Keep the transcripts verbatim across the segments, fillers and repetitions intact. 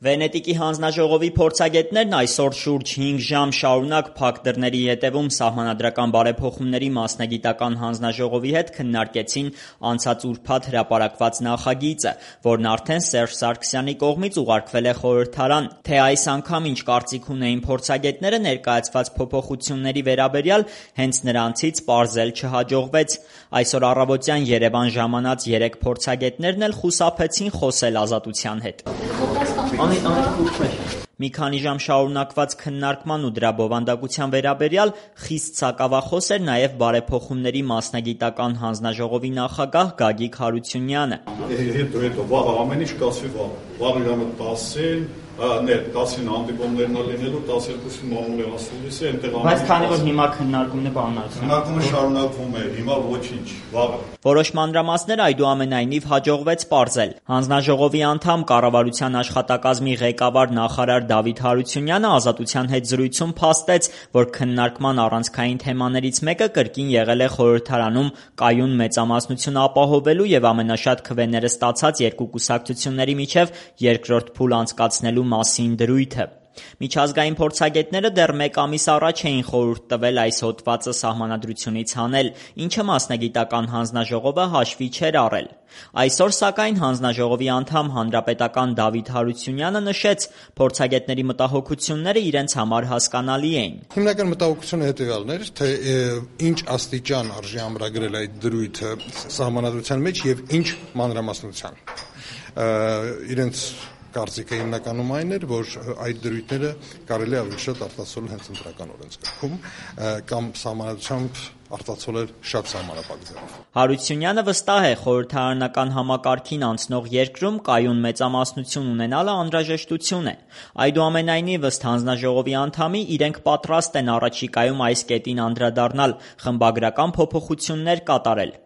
Վենետիկի հանձնաժողովի փորձագետներն այսօր շուրջ հինգ ժամ շարունակ փակ դռների ետևում Սահմանադրական բարեփոխումների մասնագիտական հանձնաժողովի հետ քննարկեցին անցած ուրբաթ հրապարակված նախագիծը, որն արդեն Սերժ Սարգսյանի կողմից ուղարկվել է խորհրդարան։ Թե այս անգամ ինչ կարծիք ունեին փորձագետները ներկայացված փոփոխությունների վերաբերյալ, հենց նրանցից պարզել չհաջողվեց։ Այսօր առավոտյան Երևան ժամանած երեք փորձագետներն էլ խուսափեցին խոսել Ազատության հետ։ Մի քանի ժամ շարունակված քննարկման ու դրա բովանդակության վերաբերյալ խիստ սակավախոս էր նաև Բարեփոխումների մասնագիտական հանձնաժողովի նախագահ Գագիկ Հարությունյանը։ Վաղ ամեն ինչ կասվի վաղ, վաղ ժամը տասին, ներ տասին հանդիպումներն լինելու, տասներկուսին մամուլի ասուլիսի, այնտեղ Բայց քանի որ հիմա քննարկումն է պարունակվում։ Քննարկումը շարունակվում է, հիմա ոչինչ, վաղը։ Որոշ մանրամասներ այդուամենայնիվ հաջողվեց պարզել։ Հանձնաժողովի անդամ, կառավարության աշխատակազմի ղեկավար նախարար Դավիթ Հարությունյանը Ազատության հետ զրույցում փաստեց, որ քննարկման առանցքային թեմաներից մեկը կրկին եղել է խորհրդարանում կայուն մեծամասնություն ապահովելու եւ ամենաշատ քվեները ստացած երկու կուսակցությունների միջև երկրորդ փուլ անցկացնելու մասին դրույթը։ Միջազգային փորձագետները դեռ մեկ ամիս առաջ էին խորհուրդ տվել այս հոդվածը Սահմանադրությունից հանել, ինչը մասնագիտական հանձնաժողովը հաշվի չէր առել։ Այսօր, սակայն, հանձնաժողովի անդամ հանրապետական Դավիթ Հարությունյանը նշեց, փորձագետների մտահոգությունները իրենց համար հասկանալի էին։ Հիմնական մտահոգությունը հետևյալն էր, թե ինչ աստիճան արժի ամրագրել այդ դրույթը Սահմանադրության մեջ եւ ինչ մանրամասնության։ Իրենց կարծիքը հիմնականում այն էր, որ այդ դրույթները կարելի ավելի շատ արտացոլել հենց ընտրական օրենսգրքում կամ Սահմանադրությամբ արտացոլել շատ սահմանափակ ձևով։ Հարությունյանը վստահ է, խորհրդարանական համակարգին անցնող երկրում կայուն մեծամասնություն ունենալը անհրաժեշտություն է։ Այդուամենայնիվ, ըստ հանձնաժողովի անդամի, իրենք պատրաստ են առաջիկայում այս կետին անդրադառնալ, խմբագրական փոփոխություններ կատարել։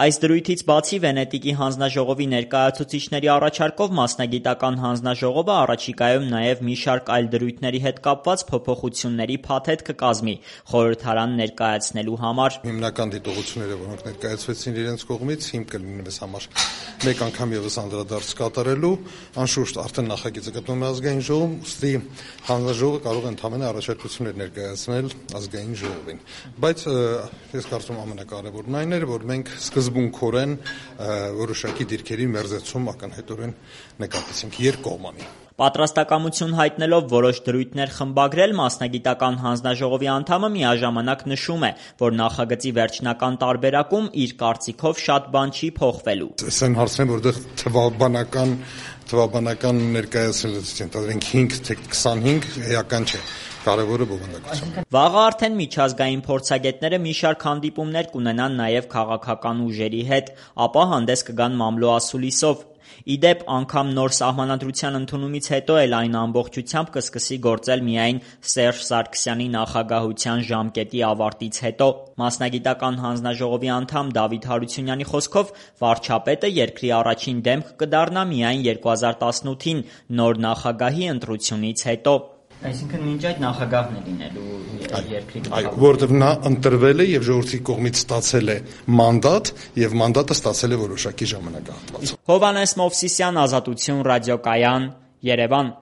Այս դրույթից բացի Վենետիկի հանձնաժողովի ներկայացուցիչների առաջարկով մասնագիտական հանձնաժողովը առաջիկայում նաև մի շարք այլ դրույթների հետ կապված փոփոխությունների փաթեթ կկազմի խորհրդարան ներկայացնելու համար։ Հիմնական դիտողությունները, որոնք ներկայացվեցին իրենց կողմից, հիմք կլինի մեզ համար մեկ անգամ եւս անդրադարձ կատարելու, անշուշտ արդեն նախագիծը գտնվում է ազգային ժողովում, ուստի հանձնաժողովը կարող է ընդհանրապես առաջարկություններ ներկայացնել ազգային ժողովին։ Բայց ես կարծում եմ ամենակարևորն այն էր, որ մենք սկզբունքորեն որոշակի դիրքերի մերձեցում ակնհայտորեն նկատեցինք երկկողմանի։ Պատրաստակամություն հայտնելով որոշ դրույթներ խմբագրել, մասնագիտական հանձնաժողովի անդամը միաժամանակ նշում է, որ նախագծի վերջնական տարբերակում իր կարծիքով շատ բան չի փոխվելու։ Այս այն հարցն է, որտեղ թվաբանական թվաբանական ներկայացնելուց ընդհանրենք հինգ թե քսանհինգ էական չէ։ Կարևորը բովանդակությունը։ Վաղը արդեն միջազգային փորձագետները մի շարք հանդիպումներ կունենան նաև քաղաքական ուժերի հետ, ապա հանդես կգան մամլո ասուլիսով։ Իդեպ, անգամ նոր Սահմանադրության ընդունումից հետո էլ այն ամբողջությամբ կսկսի գործել միայն Սերժ Սարգսյանի նախագահության ժամկետի ավարտից հետո։ Մասնագիտական հանձնաժողովի անդամ Դավիթ Հարությունյանի խոսքով, վարչապետը երկրի առաջին դեմք կդառնա միայն երկու հազար տասնութին նոր նախագահի ընտրությունից հետո։ Այսինքն մինչ այդ նախագահն է լինելու երկրի։ Այո, որովհետև նա ընտրվել է եւ ժողովրդի կողմից ստացել է մանդատ եւ մանդատը ստացել է որոշակի ժամանակահատվածով։ Հովհաննես Մովսիսյան, Ազատություն, ռադիոկայան, Երևան։